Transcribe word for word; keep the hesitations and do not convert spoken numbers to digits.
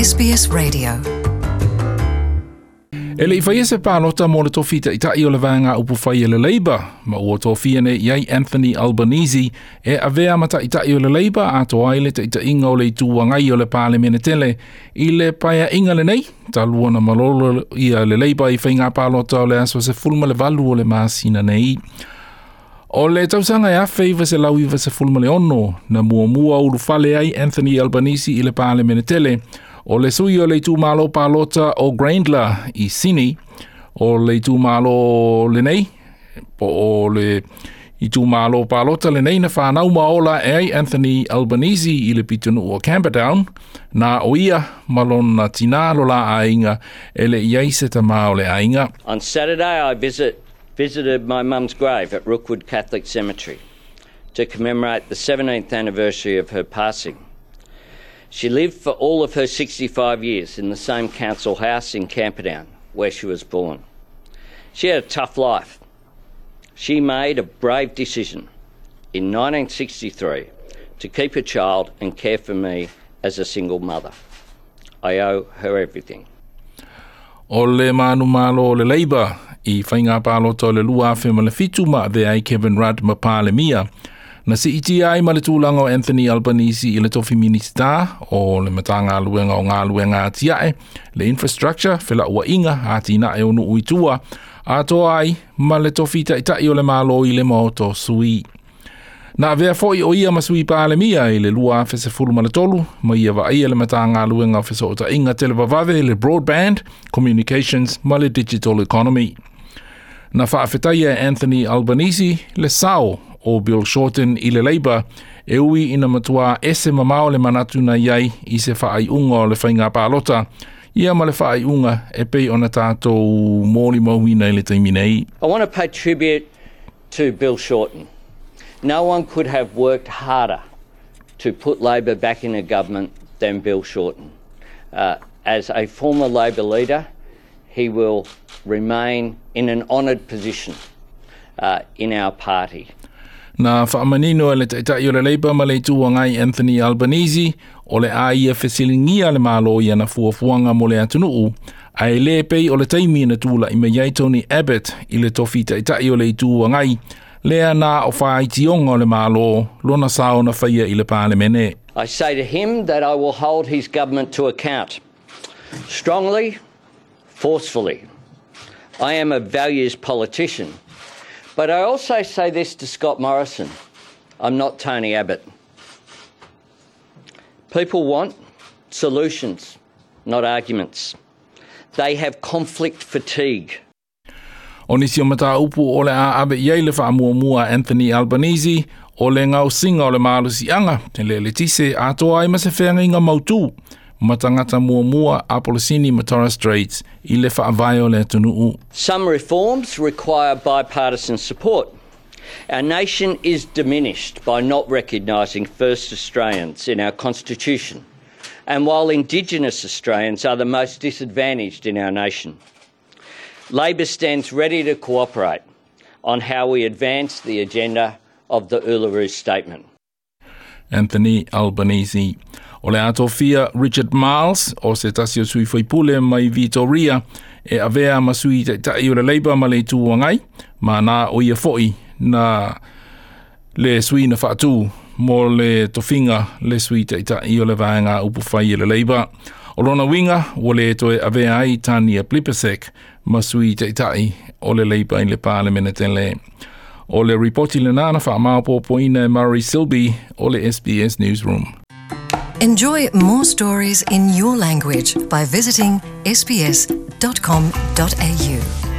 S B S Radio. E le i faia se palota mo le tofi ta'ita'i o le vaega upufai e le Labour, ma ua tofia nei i ai Anthony Albanese e avea ma ta'ita'i o le Labour atoa ai le ta'ita'iga o le Itu Agai o le Palemene tele i le paea'iga lenei, talu ona malolo ia le Labour i faiga palota o le aso sefulu ma le valu o le masina nei. O le tausaga e afe iva selau iva sefulu ma le ono na muamua ulufale ai Anthony Albanese i le Palemene tele, o le sui o le itumalo palota o Grayndler i Sydney. O le itumalo lenei, po o le itumalo palota lenei na whanau ma ola e ai Anthony Albanese i le pitonuu o Camperdown, na o ia ma lona tinā lo la aiga e le i ai se tamā o le aiga. On Saturday, I visit, visited my mum's grave at Rookwood Catholic Cemetery to commemorate the seventeenth anniversary of her passing. She lived for all of her sixty-five years in the same council house in Camperdown where she was born. She had a tough life. She made a brave decision in nineteen sixty-three to keep a child and care for me as a single mother. I owe her everything. O le manumalo o le Labour i faiga palota o le lua afe ma le fitu ma avea ai Kevin Rudd ma Palemia. Na siitia ai ma le tulaga o Anthony Albanese i le tofi Minisita o le Matagaluega o Galuega Atiae, le Infrastructure, Felauaiga, Atinae o Nuu i Tua, atoa ai ma le tofi ta'ita'i o le Malo i le Maota o Sui. Na avea foi o ia ma sui Palemia i le lua afe sefulu ma le tolu, ma ia vaaia le Matagaluega o Fesootaiga Televavave, le Broadband, Communications ma le Digital Economy. Na faafetaia e Anthony Albanese le sao o Bill Shorten i le Labour e ui ina matua ese mamao le manatu na iai i se faaiuga o le faiga palota, ia ma le faaiuga e pei ona tatou molimauina i le taimi nei. I want to pay tribute to Bill Shorten. No one could have worked harder to put Labor back in a government than Bill Shorten. Uh, as a former Labor leader, he will remain in an honoured position uh, in our party. Na faamanino e le ta'ita'i o le Labour ma le Itu Agai Anthony Albanese o le a ia fesiligia le Malo i ana fuafuaga mo le atunuu, ae lē pei o le taimi na tula'i mai ai Tony Abbott i le tofi ta'ita'i o le Itu Agai, lea na o faaitioga o le Malo lona sao na faia i le Palemene. I say to him that I will hold his government to account. Strongly, forcefully. I am a values politician. But I also say this to Scott Morrison: I'm not Tony Abbott. People want solutions, not arguments. They have conflict fatigue. O nisi o mataupu o le a ave i ai le faamuamua Anthony Albanese o le gaosiga o le malosiaga le eletise atoa ai ma se feagaiga mautū ma tagata muamua Aborigine ma Torres Straits i le faavae o le atunuu. Some reforms require bipartisan support. Our nation is diminished by not recognising First Australians in our Constitution, and while Indigenous Australians are the most disadvantaged in our nation. Labor stands ready to cooperate on how we advance the agenda of the Uluru Statement. Anthony Albanese. O le a tofia Richard Marles, o se tasi o sui faipule mai Victoria, e avea ma sui ta'ita'i o le Labour ma le Itu Agai, ma na o ia foi na le sui na faatū mo le tofiga le sui ta'ita'i o le vaega upufai e le Labour. O lona uiga, ua le toe avea ai Tania Plibersek ma sui ta'ita'i o le Labour i le Palemene tele. O le ripoti lenā na faamaopoopoina e Murray Silby o le S B S Newsroom. Enjoy more stories in your language by visiting S B S dot com dot A U.